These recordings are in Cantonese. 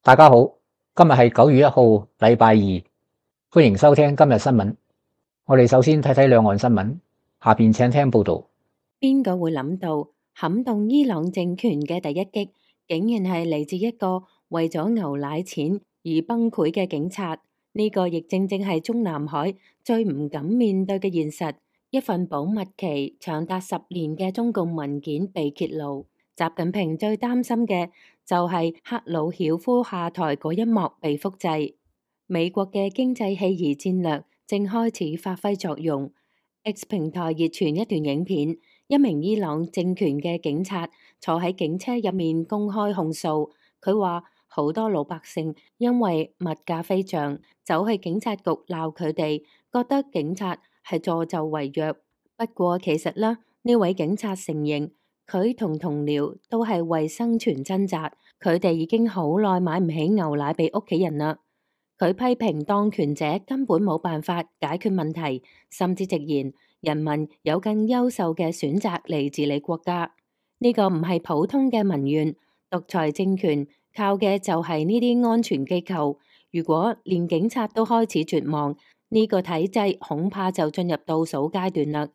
大家好，今日係9月1號，禮拜二，歡迎收聽今日新聞。我哋首先睇睇兩岸新聞，下邊請聽報道。邊個會諗到撼動伊朗政權嘅第一擊，竟然係嚟自一個為咗牛奶錢而崩潰嘅警察？呢個亦正正係中南海最唔敢面對嘅現實。一份保密期長達10年嘅中共文件被揭露，習近平最擔心嘅就係赫魯曉夫下台嗰一幕被複製。美國嘅經濟棄兒戰略正開始發揮作用。X 平台熱傳一段影片，一名伊朗政權嘅警察坐喺警車入面公開控訴。佢話好多老百姓因為物價飛漲，走去警察局鬧佢哋，覺得警察係助紂為虐。不過其實呢位警察承認，佢同同僚都係為生存掙扎，佢哋已經好耐買唔起牛奶俾屋企人啦。佢批評當權者根本冇辦法解決問題，甚至直言人民有更優秀嘅選擇嚟治理國家。呢個唔係普通嘅民怨，獨裁政權靠嘅就係呢啲安全機構。如果連警察都開始絕望，呢個體制恐怕就進入倒數階段啦。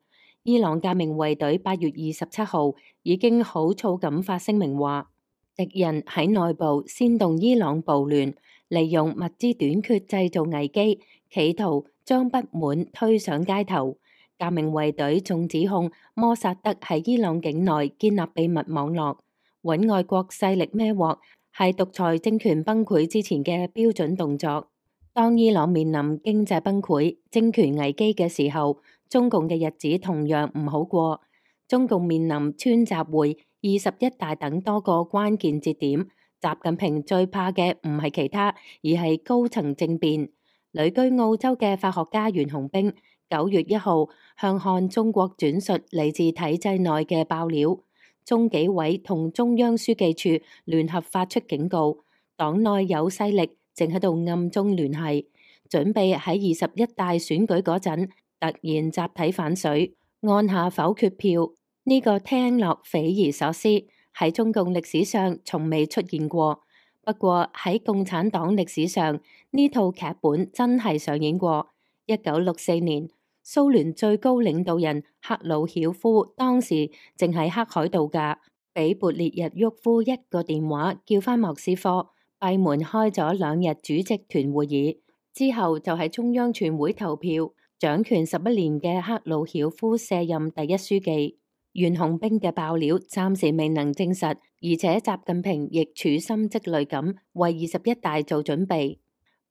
伊朗革命衛隊8月27號已經好躁咁發聲明話，敵人喺內部煽動伊朗暴亂，利用物資短缺製造危機，企圖將不滿推上街頭。革命衛隊仲指控摩薩德喺伊朗境內建立秘密網絡，搵外國勢力孭鑊，係獨裁政權崩潰之前嘅標準動作。當伊朗面臨經濟崩潰、政權危機嘅時候，中共嘅日子同樣唔好過。中共面臨川習會、21大等多個關鍵節點，習近平最怕嘅唔係其他，而係高層政變。旅居澳洲嘅法學家袁洪兵9月1號向看中國轉述嚟自體制內嘅爆料，中紀委同中央書記處聯合發出警告，黨內有勢力正喺度暗中聯繫，準備喺21大選舉嗰陣突然集體反水，按下否決票。呢個聽落匪夷所思，喺中共歷史上從未出現過。不過喺共產黨歷史上，呢套劇本真係上演過。1964年，蘇聯最高領導人赫魯曉夫當時正喺黑海度假，俾勃列日沃夫一個電話叫返莫斯科，閉門開咗2日主席團會議，之後就喺中央全會投票，掌權11年嘅赫魯曉夫卸任第一書記。袁洪兵嘅爆料暫時未能證實，而且習近平亦處心積慮咁為21大做準備。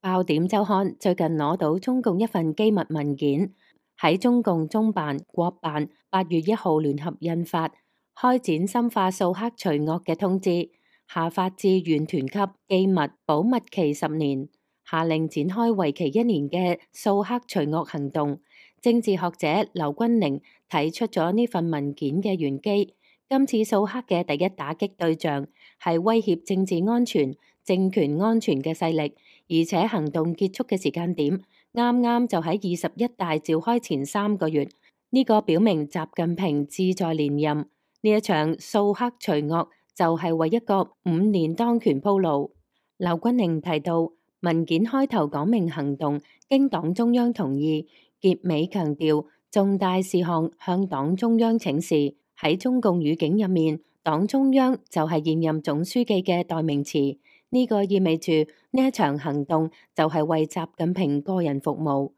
爆點週刊最近攞到中共一份機密文件，喺中共中辦、國辦8月1號聯合印發開展深化掃黑除惡嘅通知，下發至縣團級機密保密期10年，下令展開為期1年嘅掃黑除惡行動。政治學者劉君寧提出咗呢份文件嘅玄機，今次掃黑嘅第一打擊對象係威脅政治安全、政權安全嘅勢力，而且行動結束嘅時間點啱啱就喺21大召開前3個月，呢個表明習近平志在連任。呢一場掃黑除惡就係為一個5年當權鋪路。劉君寧提到，文件開頭講明行動經黨中央同意，結尾強調重大事項向黨中央請示。喺中共語境入面，黨中央就係現任總書記嘅代名詞，呢個意味住呢一場行動就係為習近平個人服務。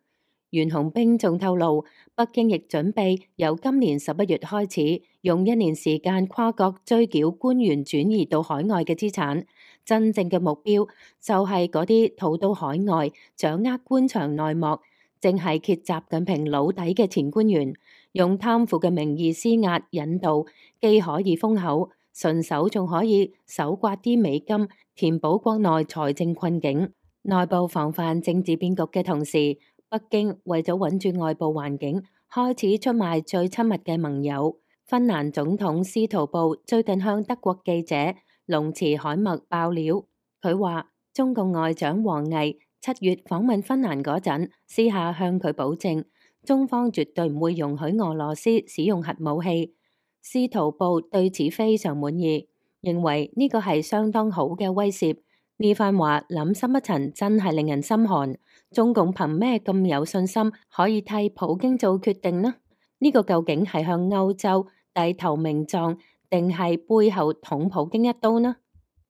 袁洪兵仲透露，北京亦準備由今年11月開始，用1年時間跨國追繳官員轉移到海外嘅資產。真正嘅目標就係嗰啲逃到海外、掌握官場內幕、正係揭習近平老底嘅前官員，用貪腐嘅名義施壓引導，既可以封口，順手仲可以搜刮啲美金，填補國內財政困境。內部防範政治變局嘅同時，北京為咗穩住外部環境，開始出賣最親密嘅盟友。芬蘭總統司徒布最近向德國記者龍茨海默爆料，佢話中共外長王毅7月訪問芬蘭嗰陣，私下向佢保證，中方絕對唔會容許俄羅斯使用核武器。司徒布對此非常滿意，認為呢個係相當好嘅威懾。呢番話諗深一層，真係令人心寒。中共憑咩咁有信心可以替普京做決定呢？呢個究竟係向歐洲低頭名狀，定係背後捅普京一刀呢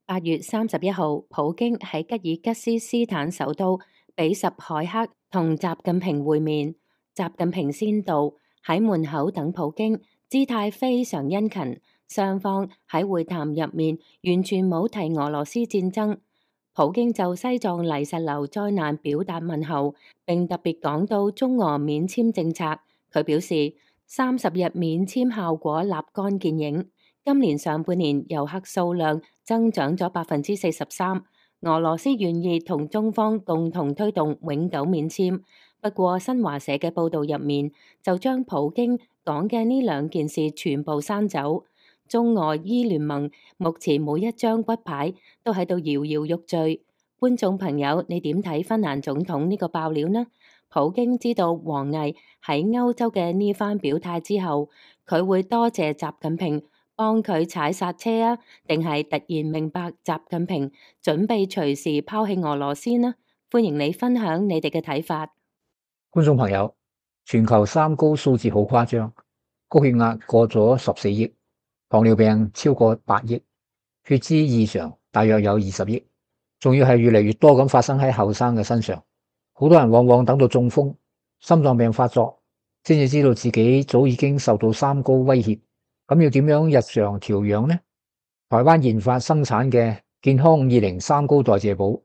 ？8月31號，普京喺吉爾吉斯斯坦首都比什凱克同習近平會面，習近平先到，喺門口等普京，姿態非常殷勤。雙方喺會談入面完全冇提俄羅斯戰爭。普京就西藏泥石流災難表達問候，並特別講到中俄免簽政策。佢表示30日免簽效果立竿見影。今年上半年遊客數量增長咗43%，俄羅斯願意同中方共同推動永久免簽。不過新華社嘅報道入面就將普京講嘅呢兩件事全部刪走。中俄伊聯盟目前每一張骨牌都喺度搖搖欲墜。觀眾朋友，你點睇芬蘭總統呢個爆料呢？普京知道王毅喺歐洲嘅呢番表態之後，佢會多謝習近平幫佢踩剎車啊，定係突然明白習近平準備隨時拋棄俄羅斯呢？歡迎你分享你哋嘅睇法。觀眾朋友，全球三高數字好誇張，高血壓過咗14億。糖尿病超過8億，血脂異常大約有20億，仲要係越嚟越多咁發生喺後生嘅身上。好多人往往等到中風、心臟病發作，先至知道自己早已經受到三高威脅。咁要點樣日常調養呢？台灣研發生產嘅健康520三高代謝寶，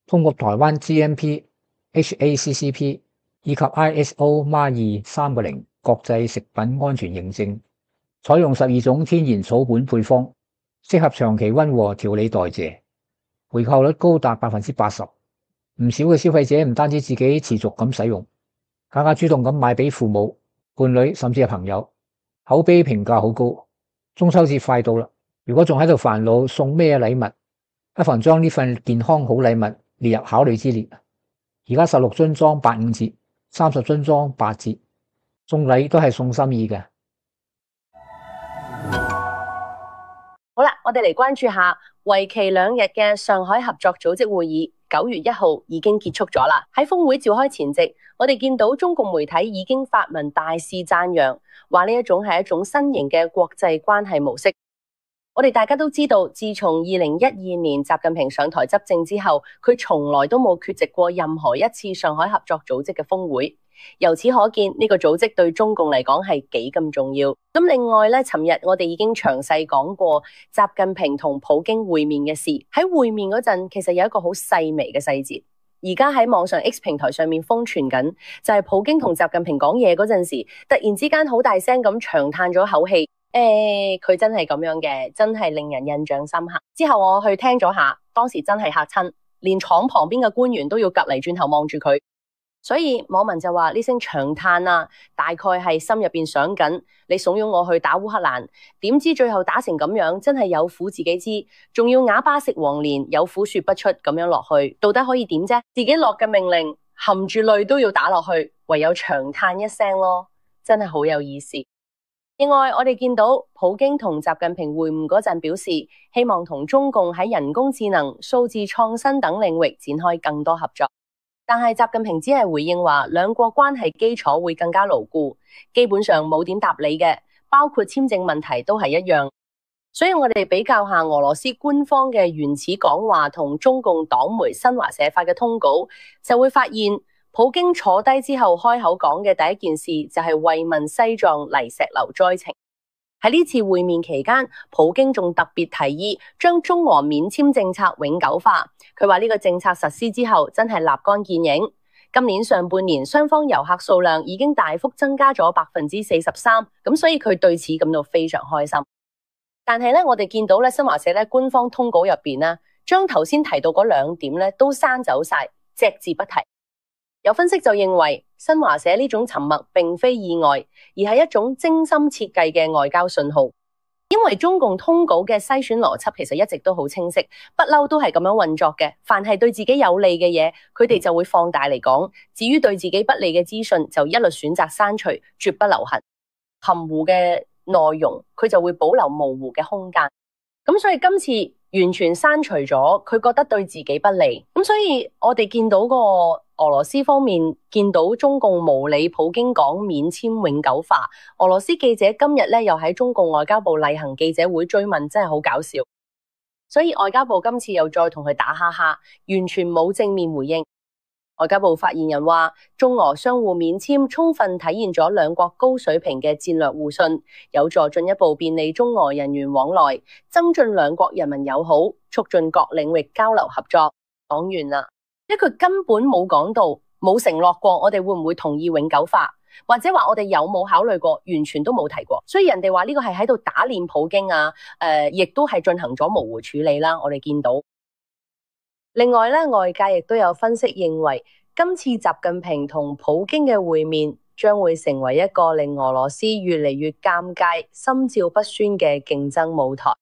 通過台灣 GMP、HACCP 以及 ISO MA2 3.0國際食品安全認證。採用12種天然草本配方，適合長期溫和調理代謝，回購率高達80%。唔少嘅消費者唔單止自己持續咁使用，更加主動咁買俾父母、伴侶甚至係朋友，口碑評價好高。中秋節快到啦，如果仲喺度煩惱送咩禮物，不妨將呢份健康好禮物列入考慮之列。而家16樽裝85折，30樽裝8折，送禮都係送心意嘅。好啦，我哋嚟關注下為期2日嘅上海合作組織會議，9月1號已經結束咗啦。喺峰會召開前夕，我哋見到中共媒體已經發文大肆讚揚，話呢一種係一種新型嘅國際關係模式。我哋大家都知道，自從2012年習近平上台執政之後，佢從來都冇缺席過任何一次上海合作組織嘅峰會。由此可見，呢個組織對中共嚟講係幾咁重要。咁另外咧，尋日我哋已經詳細講過習近平同普京會面嘅事。喺會面嗰陣，其實有一個好細微嘅細節，而家喺網上 X 平台上面瘋傳緊，就係普京同習近平講嘢嗰陣時，突然之間好大聲咁長嘆咗口氣。佢真係咁樣嘅，真係令人印象深刻。之後我去聽咗下，當時真係嚇親，連廠旁邊嘅官員都要夾嚟轉頭望住佢。所以網民就話呢聲長嘆啊，大概係心入邊想緊，你慫恿我去打烏克蘭，點知最後打成咁樣，真係有苦自己知，仲要啞巴食黃連，有苦說不出咁樣落去，到底可以點啫？自己落嘅命令，含住淚都要打落去，唯有長嘆一聲咯，真係好有意思。另外，我哋見到普京同習近平會晤嗰陣表示，希望同中共喺人工智能、數字創新等領域展開更多合作。但係習近平只係回應話，兩國關係基礎會更加牢固，基本上冇點答理嘅，包括簽證問題都係一樣。所以我哋比較下俄羅斯官方嘅原始講話同中共黨媒新華社發嘅通稿，就會發現普京坐低之後開口講嘅第一件事就係慰問西藏泥石流災情。喺呢次會面期間，普京仲特別提議將中俄免簽政策永久化。佢話呢個政策實施之後真係立竿見影。今年上半年雙方遊客數量已經大幅增加咗43%，咁所以佢對此感到非常開心。但係咧，我哋見到咧新華社咧官方通稿入邊咧，將頭先提到嗰2點咧都刪走晒，隻字不提。有分析就認為，新華社呢種沉默並非意外，而係一種精心設計嘅外交信號。因為中共通稿嘅篩選邏輯其實一直都好清晰，不嬲都係咁樣運作嘅。凡係對自己有利嘅嘢，佢哋就會放大嚟講；至於對自己不利嘅資訊，就一律選擇刪除，絕不留痕。含糊嘅內容，佢就會保留模糊嘅空間。咁所以今次完全刪除咗，佢覺得對自己不利。咁所以我哋見到個俄羅斯方面見到中共無理普京講免簽永久化，俄羅斯記者今日咧又喺中共外交部例行記者會追問，真係好搞笑。所以外交部今次又再同佢打哈哈，完全冇正面回應。外交部發言人話，中俄相互免簽充分體現咗兩國高水平嘅戰略互信，有助進一步便利中俄人員往來，增進兩國人民友好，促進各領域交流合作。講完啦，因為佢根本冇講到，冇承諾過我哋會唔會同意永久化，或者話我哋有冇考慮過，完全都冇提過。所以人哋話呢個係喺度打臉普京啊，亦都係進行咗模糊處理啦。我哋見到。另外咧，外界亦都有分析認為，今次習近平同普京嘅會面將會成為一個令俄羅斯越嚟越尷尬、心照不宣嘅競爭舞台。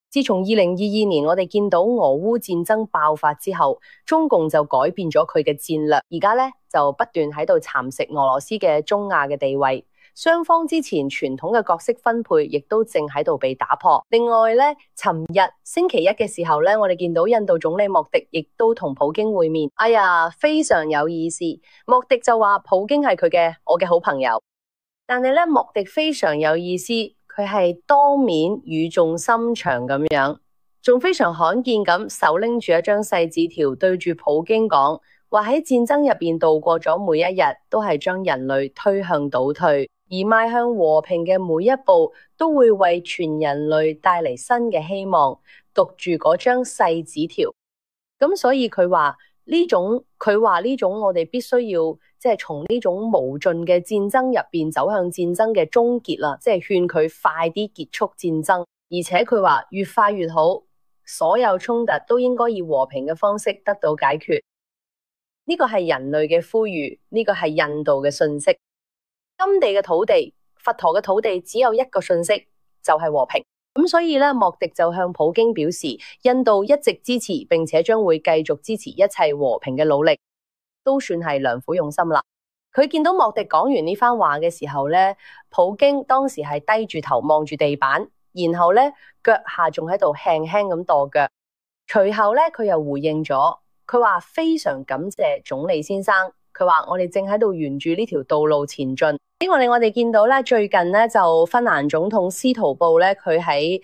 自從2022年我哋見到俄烏戰爭爆發之後，中共就改變咗佢嘅戰略，而家咧就不斷喺度蠶食俄羅斯嘅中亞嘅地位。雙方之前傳統嘅角色分配亦都正喺度被打破。另外咧，尋日星期一嘅時候咧，我哋見到印度總理莫迪亦都同普京會面。哎呀，非常有意思。莫迪就話普京係我嘅好朋友，但係咧莫迪非常有意思，佢係當面語重心長咁樣，仲非常罕見咁手拎住一張細紙條對住普京講，話喺戰爭入邊度過咗每一日都係將人類推向倒退，而邁向和平嘅每一步都會為全人類帶嚟新嘅希望。讀住嗰張細紙條，咁所以佢話呢種我哋必須要即係從呢種無盡嘅戰爭入邊走向戰爭嘅終結啦，即係勸佢快啲結束戰爭，而且佢話越快越好，所有衝突都應該以和平嘅方式得到解決。呢個係人類嘅呼籲，呢個係印度嘅訊息。甘地嘅土地，佛陀嘅土地只有一個訊息，就係和平。咁所以咧，莫迪就向普京表示，印度一直支持並且將會繼續支持一切和平嘅努力，都算係良苦用心啦。佢見到莫迪講完呢番話嘅時候咧，普京當時係低住頭望住地板，然後咧腳下仲喺度輕輕咁跺腳。隨後咧佢又回應咗，佢話非常感謝總理先生。佢話我哋正喺度沿住呢條道路前進。呢個令我哋見到咧，最近咧就芬蘭總統司徒布咧，佢喺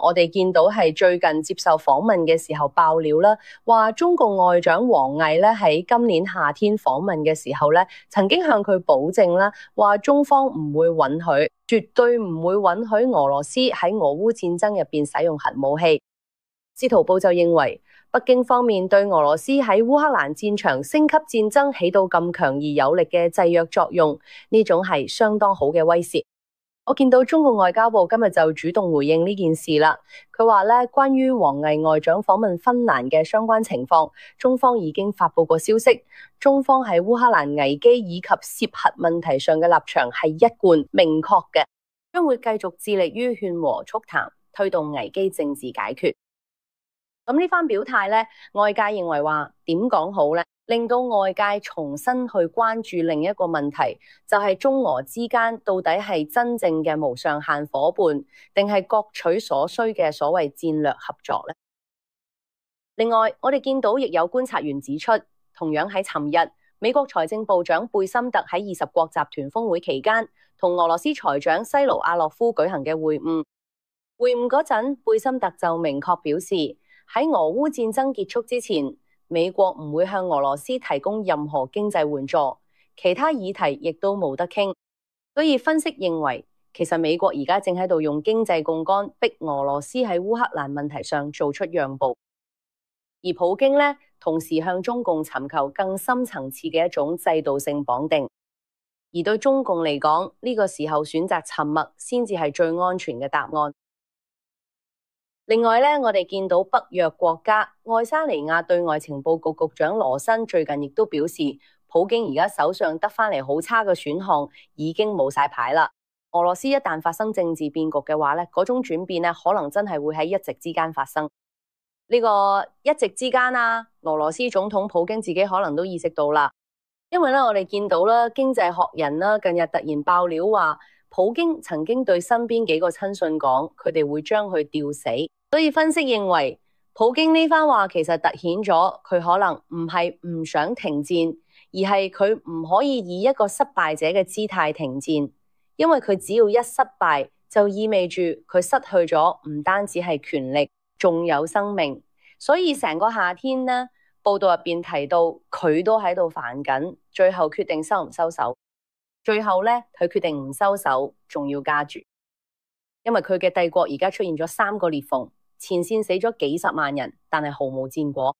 我哋見到係最近接受訪問嘅時候爆料啦，話中共外長王毅咧喺今年夏天訪問嘅時候咧，曾經向佢保證啦，話中方唔會允許，絕對唔會允許俄羅斯喺俄烏戰爭入邊使用核武器。司徒布就認為，北京方面對俄羅斯喺烏克蘭戰場升級戰爭起到咁強而有力嘅制約作用，呢種係相當好嘅威懾。我見到中共外交部今日就主動回應呢件事啦。佢話咧，關於王毅外長訪問芬蘭嘅相關情況，中方已經發佈過消息。中方喺烏克蘭危機以及涉核問題上嘅立場係一貫明確嘅，將會繼續致力於勸和促談，推動危機政治解決。咁呢番表態咧，外界認為話點講好咧？令到外界重新去關注另一個問題，就係中俄之間到底係真正嘅無上限夥伴，定係各取所需嘅所謂戰略合作咧？另外，我哋見到亦有觀察員指出，同樣喺尋日，美國財政部長貝森特喺20國集團峰會期間，同俄羅斯財長西盧阿洛夫舉行嘅會晤。會晤嗰陣，貝森特就明確表示，喺俄烏戰爭結束之前，美國唔會向俄羅斯提供任何經濟援助，其他議題亦都冇得傾。所以分析認為，其實美國而家正喺度用經濟槓桿逼俄羅斯喺烏克蘭問題上做出讓步，而普京呢，同時向中共尋求更深層次嘅一種制度性綁定。而對中共嚟講，呢個時候選擇沉默先至係最安全嘅答案。另外咧，我哋見到北約國家愛沙尼亞對外情報局局長羅申最近亦都表示，普京而家手上得返嚟好差嘅選項已經冇晒牌啦。俄羅斯一旦發生政治變局嘅話咧，嗰種轉變咧可能真係會喺一夕之間發生。呢個一夕之間啊，俄羅斯總統普京自己可能都意識到啦，因為咧我哋見到啦，經濟學人啦近日突然爆料話，普京曾經對身邊幾個親信講，佢哋會將佢吊死。所以分析認為，普京呢番話其實凸顯咗佢可能唔係唔想停戰，而係佢唔可以以一個失敗者嘅姿態停戰，因為佢只要一失敗，就意味住佢失去咗唔單止係權力，仲有生命。所以成個夏天呢，報道入邊提到佢都喺度煩緊，最後決定收唔收手。最後呢，佢決定唔收手，仲要加注，因為佢嘅帝國而家出現咗3個裂縫，前線死咗幾十萬人，但係毫無戰果。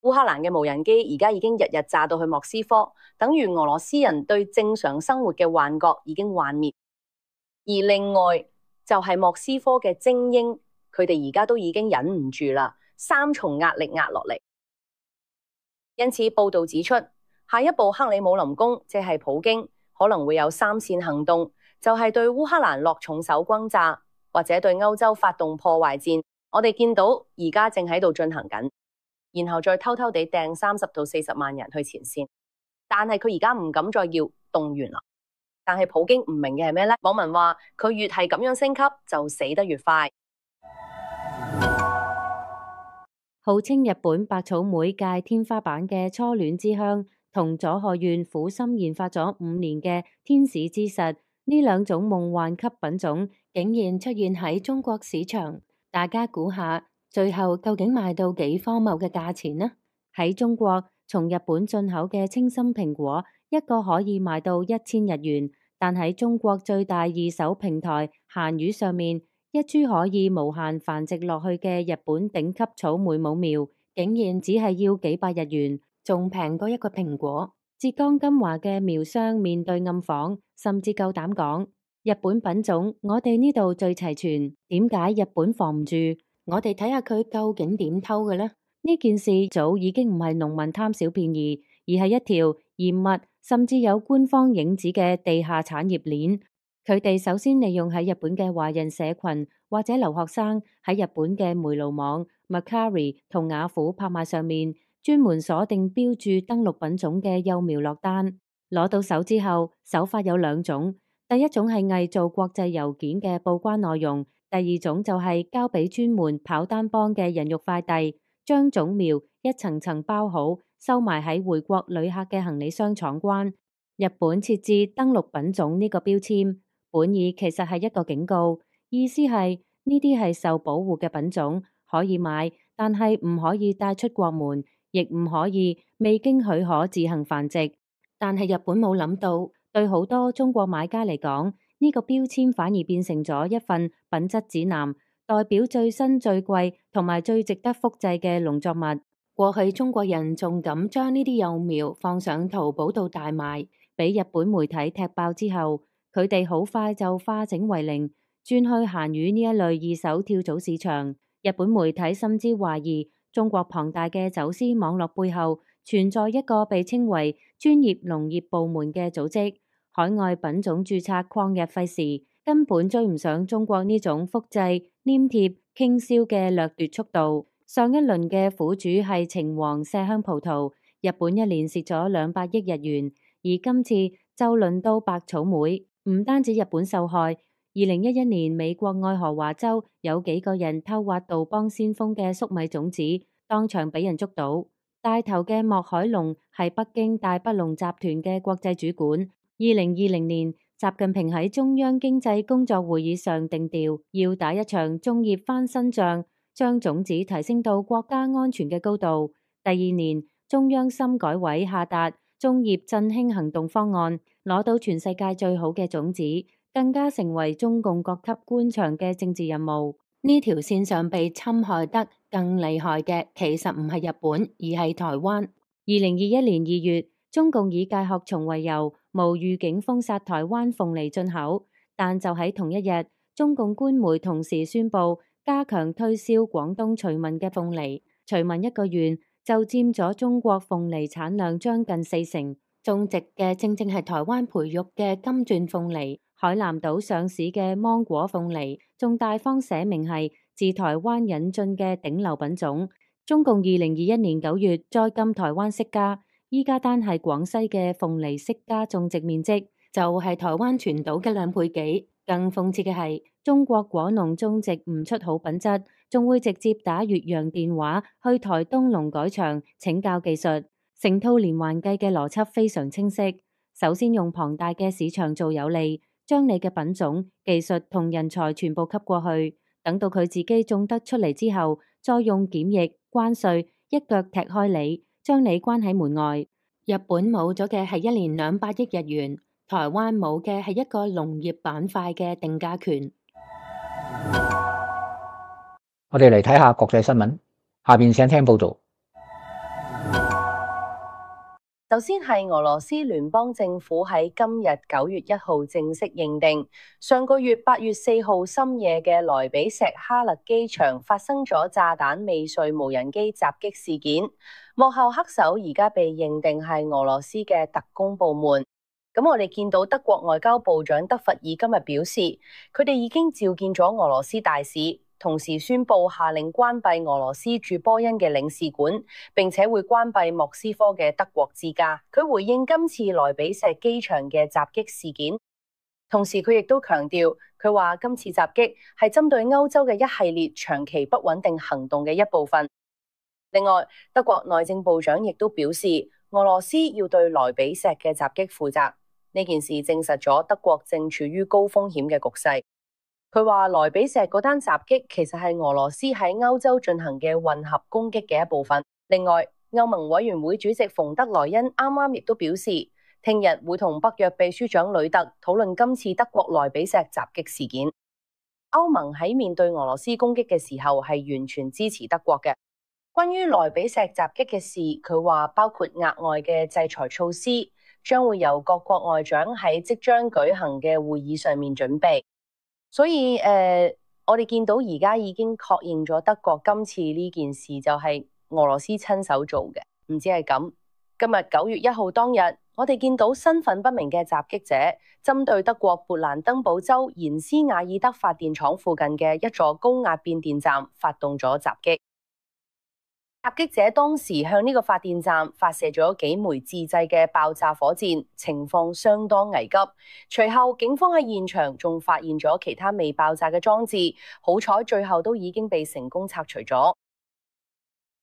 烏克蘭嘅無人機而家已經日日炸到去莫斯科，等於俄羅斯人對正常生活嘅幻覺已經幻滅。而另外就係莫斯科嘅精英，佢哋而家都已經忍唔住啦，3重壓力壓落嚟。因此報道指出，下一步克里姆林宮即係普京可能會有3線行動，就係對烏克蘭落重手轟炸，或者對歐洲發動破壞戰。我哋見到而家正喺度進行緊，然後再偷偷地掟30到40萬人去前線。但係佢而家唔敢再要動員啦。但係普京唔明嘅係咩呢？網民話佢越係咁樣升級，就死得越快。號稱日本百草莓界天花板嘅初戀之香，同佐賀縣苦心研發咗5年嘅天使之實，呢2種夢幻級品種竟然出現喺中國市場。大家估下，最後究竟賣到幾荒謬嘅價錢呢？喺中國，從日本進口嘅清心蘋果，一個可以賣到1000日元，但喺中國最大二手平台閒魚上面，一株可以無限繁殖落去嘅日本頂級草莓母苗，竟然只係要幾百日元，仲平過一個蘋果。浙江金華嘅苗商面對暗訪，甚至夠膽講：日本品種我哋呢度最齊全，點解日本防唔住？我哋睇下佢究竟點偷嘅呢？呢件事早已經唔係農民貪小便宜，而係一條嚴密甚至有官方影子嘅地下產業鏈。佢哋首先利用喺日本嘅華人社群或者留學生喺日本嘅煤爐網、Mercari 同雅虎拍賣上面專門鎖定標注登錄品種嘅幼苗落單。攞到手之後，手法有2種，第一種係偽造國際郵件嘅報關內容，第2種就係交俾專門跑單幫嘅人肉快遞，將種苗一層層包好，收埋喺回國旅客嘅行李箱闖關。日本設置登錄品種呢個標籤，本意其實係一個警告，意思係呢啲係受保護嘅品種，可以買，但係唔可以帶出國門，亦唔可以未經許可自行繁殖。但係日本冇諗到，對好多中國買家嚟講，呢個標籤反而變成咗一份品質指南，代表最新最貴同埋最值得複製嘅農作物。過去中國人仲敢將呢啲幼苗放上淘寶度大賣，俾日本媒體踢爆之後，佢哋好快就化整為零，轉去閒魚呢一類二手跳蚤市場。日本媒體甚至懷疑中國龐大嘅走私網絡背後存在一個被稱為專業農業部門嘅組織，海外品種註冊曠日費時，根本追唔上中國呢種複製、黏貼、傾銷嘅掠奪速度。上一輪嘅苦主係橙黃麝香葡萄，日本一年蝕咗200億日元，而今次就輪到白草莓。唔單止日本受害，2011年美國愛荷華州有幾個人偷挖杜邦先鋒嘅粟米種子，當場俾人捉到。帶頭嘅莫海龍係北京大北龍集團嘅國際主管。2020年，習近平喺中央經濟工作會議上定調，要打一場種業翻身仗，將種子提升到國家安全嘅高度。第2年，中央深改委下達種業振興行動方案，攞到全世界最好嘅種子，更加成為中共各級官場嘅政治任務。呢條線上被侵害得更厲害嘅，其實唔係日本，而係台灣。2021年2月，中共以戒殼蟲為由，無預警封殺台灣鳳梨進口，但就喺同一日，中共官媒同時宣布加強推銷廣東徐聞嘅鳳梨。徐聞一個縣就佔咗中國鳳梨產量將近40%，種植嘅正正係台灣培育嘅金鑽鳳梨。海南島上市嘅芒果鳳梨，仲大方寫明係自台灣引進嘅頂流品種。中共2021年9月再禁台灣釋迦，依家單係廣西嘅鳳梨釋迦種植面積就係台灣全島嘅2倍幾。更諷刺嘅係，中國果農種植唔出好品質，仲會直接打越洋電話去台東農改場請教技術，成套連環計嘅邏輯非常清晰。首先用龐大嘅市場做有利，將你嘅品種、技術同人才全部吸過去，等到佢自己種得出嚟之後，再用檢疫、關稅一腳踢開你，將你關喺門外。日本冇咗嘅係1年200億日元。台灣冇嘅係一個農業板塊嘅定價權。我哋嚟睇下國際新聞，下邊請聽報道。首先係俄羅斯聯邦政府喺今日9月1號正式認定，上個月8月4號深夜嘅萊比錫哈勒機場發生咗炸彈未遂無人機襲擊事件，幕後黑手而家被認定係俄羅斯嘅特工部門。咁我哋見到德國外交部長德弗爾今日表示，佢哋已經召見咗俄羅斯大使，同時宣布下令關閉俄羅斯駐波恩嘅領事館，並且會關閉莫斯科嘅德國之家。佢回應今次萊比錫機場嘅襲擊事件，同時佢亦都強調，佢話今次襲擊係針對歐洲嘅一系列長期不穩定行動嘅一部分。另外，德國內政部長亦都表示，俄羅斯要對萊比錫嘅襲擊負責。呢件事證實咗德國正處於高風險嘅局勢。佢話萊比錫嗰單襲擊其實係俄羅斯喺歐洲進行嘅混合攻擊嘅一部分。另外，歐盟委員會主席馮德萊恩啱啱亦都表示，聽日會同北約秘書長呂特討論今次德國萊比錫襲擊事件。歐盟喺面對俄羅斯攻擊嘅時候係完全支持德國嘅。關於萊比錫襲擊嘅事，佢話包括額外嘅制裁措施，將會由各國外長喺即將舉行嘅會議上面準備。所以我哋見到而家已經確認咗德國今次呢件事就係俄羅斯親手做嘅，唔止係咁。今日9月1號當日，我哋見到身份不明嘅襲擊者針對德國勃蘭登堡州延斯瓦爾德發電廠附近嘅一座高壓變電站發動咗襲擊。襲擊者當時向呢個發電站發射咗幾枚自製嘅爆炸火箭，情況相當危急。隨後警方喺現場仲發現咗其他未爆炸嘅裝置，好彩最後都已經被成功拆除咗。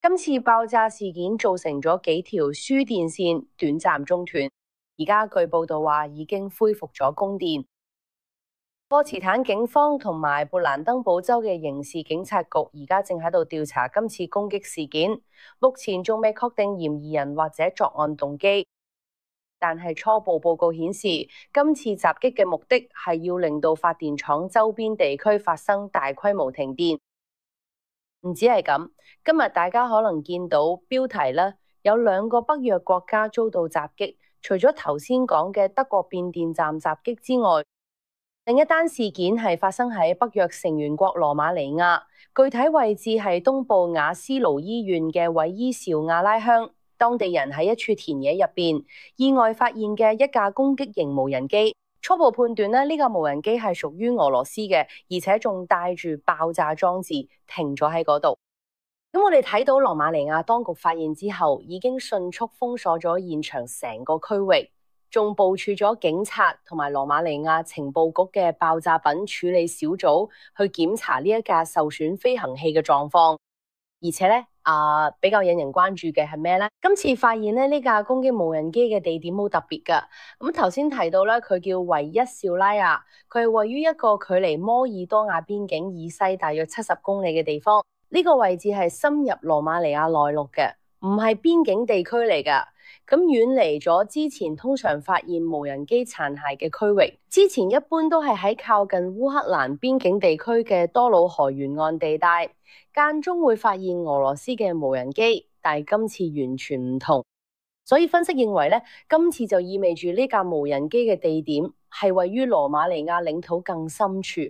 今次爆炸事件造成咗幾條輸電線短暫中斷，而家據報道話已經恢復咗供電。波茨坦警方同埋勃蘭登堡州嘅刑事警察局而家正喺度調查今次攻擊事件，目前仲未確定嫌疑人或者作案動機，但係初步報告顯示，今次襲擊嘅目的係要令到發電廠周邊地區發生大規模停電。唔止係咁，今日大家可能見到標題啦，有2個北約國家遭到襲擊，除咗頭先講嘅德國變電站襲擊之外，另一單事件係發生喺北約成員國羅馬尼亞，具體位置係東部瓦斯盧醫院嘅韋伊紹亞拉鄉。當地人喺一處田野入邊意外發現嘅一架攻擊型無人機，初步判斷呢架無人機係屬於俄羅斯嘅，而且仲帶住爆炸裝置停咗喺嗰度。咁我哋睇到羅馬尼亞當局發現之後，已經迅速封鎖咗現場成個區域，仲部署咗警察同埋羅馬尼亞情報局嘅爆炸品處理小組去檢查呢一架受損飛行器嘅狀況。而且咧，比較引人關注嘅係咩咧？今次發現咧，呢架攻擊無人機嘅地點好特別噶。咁頭先提到咧，佢叫維一紹拉亞，佢係位於一個距離摩爾多瓦邊境以西大約70公里嘅地方。呢個位置係深入羅馬尼亞內陸嘅，唔係邊境地區嚟噶。咁遠離咗之前通常發現無人機殘骸嘅區域。之前一般都係喺靠近烏克蘭邊境地區嘅多瑙河沿岸地帶，間中會發現俄羅斯嘅無人機，但係今次完全唔同。所以分析認為咧，今次就意味住呢架無人機嘅地點係位於羅馬尼亞領土更深處。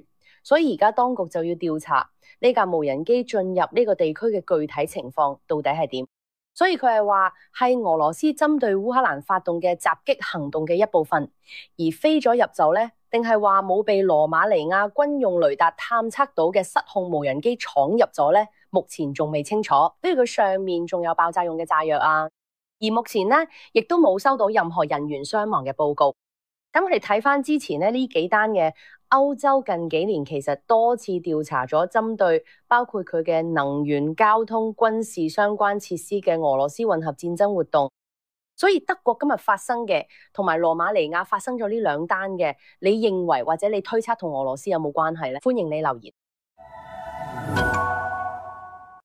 所以而家當局就要調查呢架無人機進入呢個地區嘅具體情況到底係點。所以佢係話係俄羅斯針對烏克蘭發動嘅襲擊行動嘅一部分，而飛咗入走呢？定係話冇被羅馬尼亞軍用雷達探測到嘅失控無人機闖入咗呢？目前仲未清楚。比如佢上面仲有爆炸用嘅炸藥啊，而目前呢亦都冇收到任何人員傷亡嘅報告。咁我哋睇翻之前呢幾單嘅歐洲近幾年其實多次調查咗針對包括佢嘅能源、交通、軍事相關設施嘅俄羅斯混合戰爭活動。所以德國今日發生嘅同埋羅馬尼亞發生咗呢兩單嘅，你認為或者你推測同俄羅斯有冇關係呢？歡迎你留言。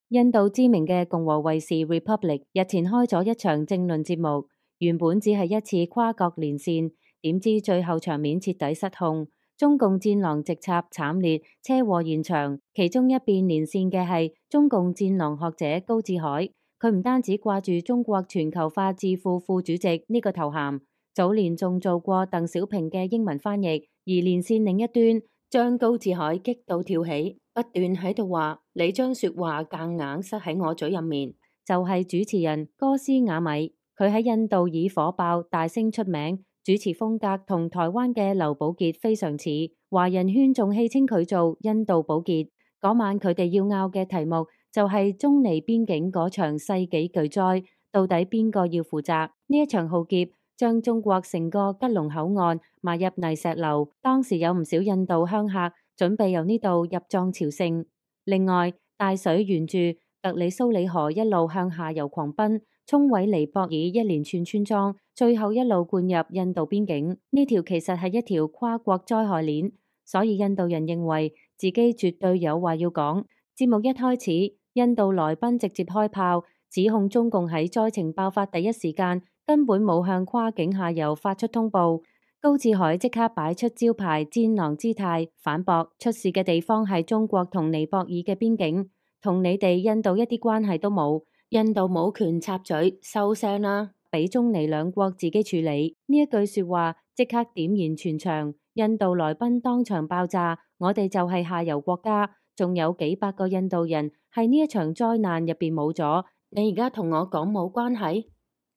印度知名嘅共和衛視 Republic 日前開咗一場政論節目，原本只係一次跨國連線，點知最後場面徹底失控，中共戰狼直插慘烈，車禍現場。其中一邊連線嘅係中共戰狼學者高志海。佢唔單止掛住中國全球化智庫副主席呢個頭銜，早年仲做過鄧小平嘅英文翻譯。而連線另一端，將高志海激到跳起，不斷喺度話：你將說話夾硬塞喺我嘴入面。就係主持人哥斯雅米，佢喺印度以火爆大聲出名，主持風格同台灣嘅劉寶傑非常似，華人圈仲戲稱佢做印度寶傑。嗰晚佢哋要拗嘅題目就係中尼邊境嗰場世紀巨災，到底邊個要負責？呢一場浩劫將中國成個吉隆口岸埋入泥石流，當時有唔少印度鄉客準備由呢度入藏朝聖。另外，大水沿住特里蘇里河一路向下游狂奔，沖毀尼泊爾一連串村莊，最後一路灌入印度邊境。呢條其實係一條跨國災害鏈，所以印度人認為自己絕對有話要講。節目一開始，印度來賓直接開炮，指控中共喺災情爆發第一時間根本冇向跨境下游發出通報。高志海即刻擺出招牌戰狼姿態，反駁出事嘅地方係中國同尼泊爾嘅邊境，同你哋印度一啲關係都冇，印度冇權插嘴，收聲啦，俾中尼兩國自己處理。呢一句說話即刻點燃全場，印度來賓當場爆炸，我哋就係下游國家，仲有幾百個印度人喺呢一場災難入邊冇咗，你而家同我講冇關係？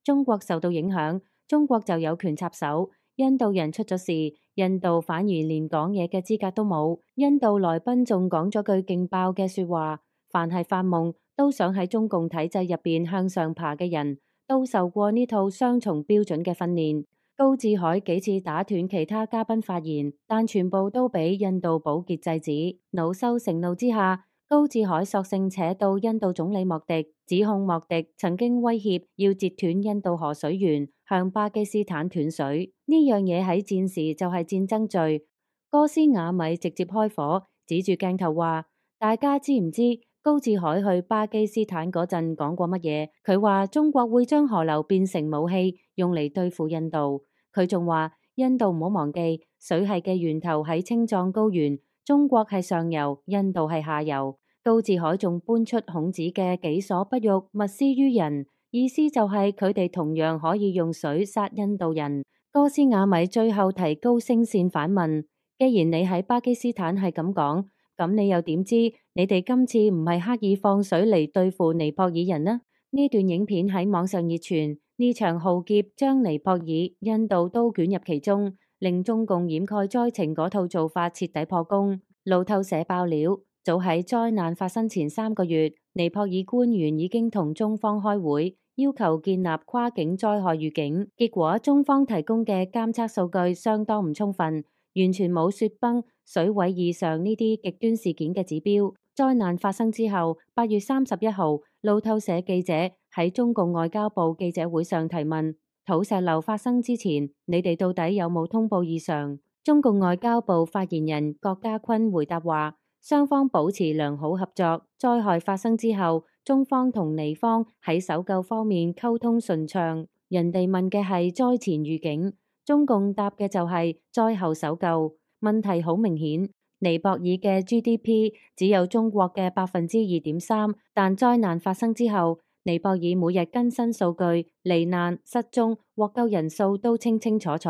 中國受到影響，中國就有權插手。印度人出咗事，印度反而連講嘢嘅資格都冇。印度來賓仲講咗句勁爆嘅說話：凡係發夢都想喺中共體制入邊向上爬嘅人，都受過呢套雙重標準嘅訓練。高志海幾次打斷其他嘉賓發言，但全部都俾印度寶傑制止。惱羞成怒之下，高志海索性扯到印度總理莫迪，指控莫迪曾經威脅要截斷印度河水源，向巴基斯坦斷水。呢樣嘢喺戰時就係戰爭罪。哥斯雅米直接開火，指住鏡頭話：大家知唔知高志海去巴基斯坦嗰陣講過乜嘢？佢話中國會將河流變成武器，用嚟對付印度。佢仲話印度唔好忘記，水系嘅源頭喺青藏高原，中國係上游，印度係下游。高志海仲搬出孔子嘅己所不欲，勿施於人，意思就係佢哋同樣可以用水殺印度人。哥斯雅米最後提高聲線反問：既然你喺巴基斯坦係咁講，咁你又點知你哋今次唔係刻意放水嚟對付尼泊爾人呢？呢段影片喺網上熱傳，呢場浩劫將尼泊爾、印度都捲入其中，令中共掩蓋災情嗰套做法徹底破功。路透社爆料，早喺災難發生前3個月，尼泊爾官員已經同中方開會，要求建立跨境災害預警。結果中方提供嘅監測數據相當唔充分，完全冇雪崩、水位以上呢啲極端事件嘅指標。災難發生之後，8月31號，路透社記者喺中共外交部記者會上提問：土石流發生之前，你哋到底有冇通報異常？中共外交部發言人郭家坤回答話：雙方保持良好合作，災害發生之後，中方同尼方喺搜救方面溝通順暢。人哋問嘅係災前預警，中共答嘅就係災後搜救。問題好明顯，尼泊爾嘅 GDP 只有中國嘅2.3%，但災難發生之後，尼泊爾每日更新數據，罹難、失蹤、獲救人數都清清楚楚。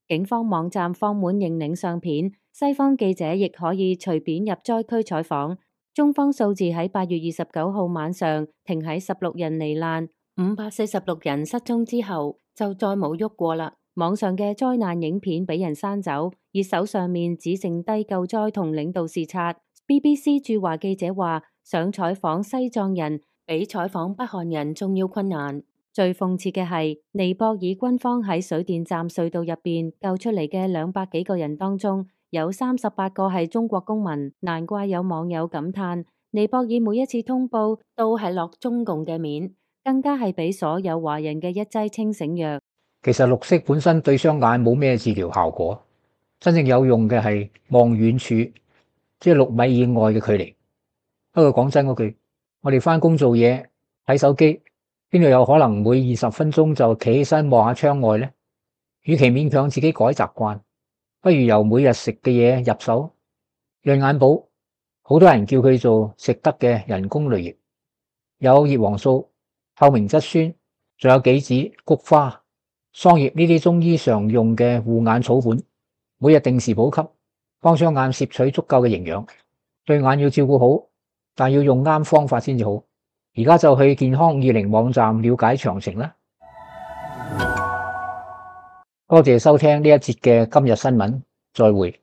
警方網站放滿認領相片，西方記者亦可以隨便入災區採訪。中方數字喺8月29號晚上停喺16人罹難、546人失蹤之後，就再冇喐過啦。網上嘅災難影片俾人刪走，熱搜上面只剩低救災同領導視察。BBC 駐華記者話，想採訪西藏人比採訪北韓人仲要困難。最諷刺嘅係，尼泊爾軍方喺水電站隧道入邊救出嚟嘅200幾個人當中，有38個係中國公民，難怪有網友感嘆：尼泊爾每一次通報都係落中共嘅面，更加係俾所有華人嘅一劑清醒藥。其實綠色本身對雙眼冇咩治療效果，真正有用嘅係望遠處，即係6米以外嘅距離。不過講真嗰句，我哋返工做嘢睇手機，邊度有可能每20分鐘就企起身望下窗外呢？與其勉強自己改習慣，不如由每日食嘅嘢入手。潤眼寶，好多人叫佢做食得嘅人工淚液，有葉黃素、透明質酸，仲有杞子、菊花、桑葉呢啲中醫常用嘅護眼草本，每日定時補給，幫雙眼攝取足夠嘅營養。對眼要照顧好，但要用啱方法先至好。而家就去健康20網站了解詳情啦。多謝收聽呢一節嘅今日新聞，再會。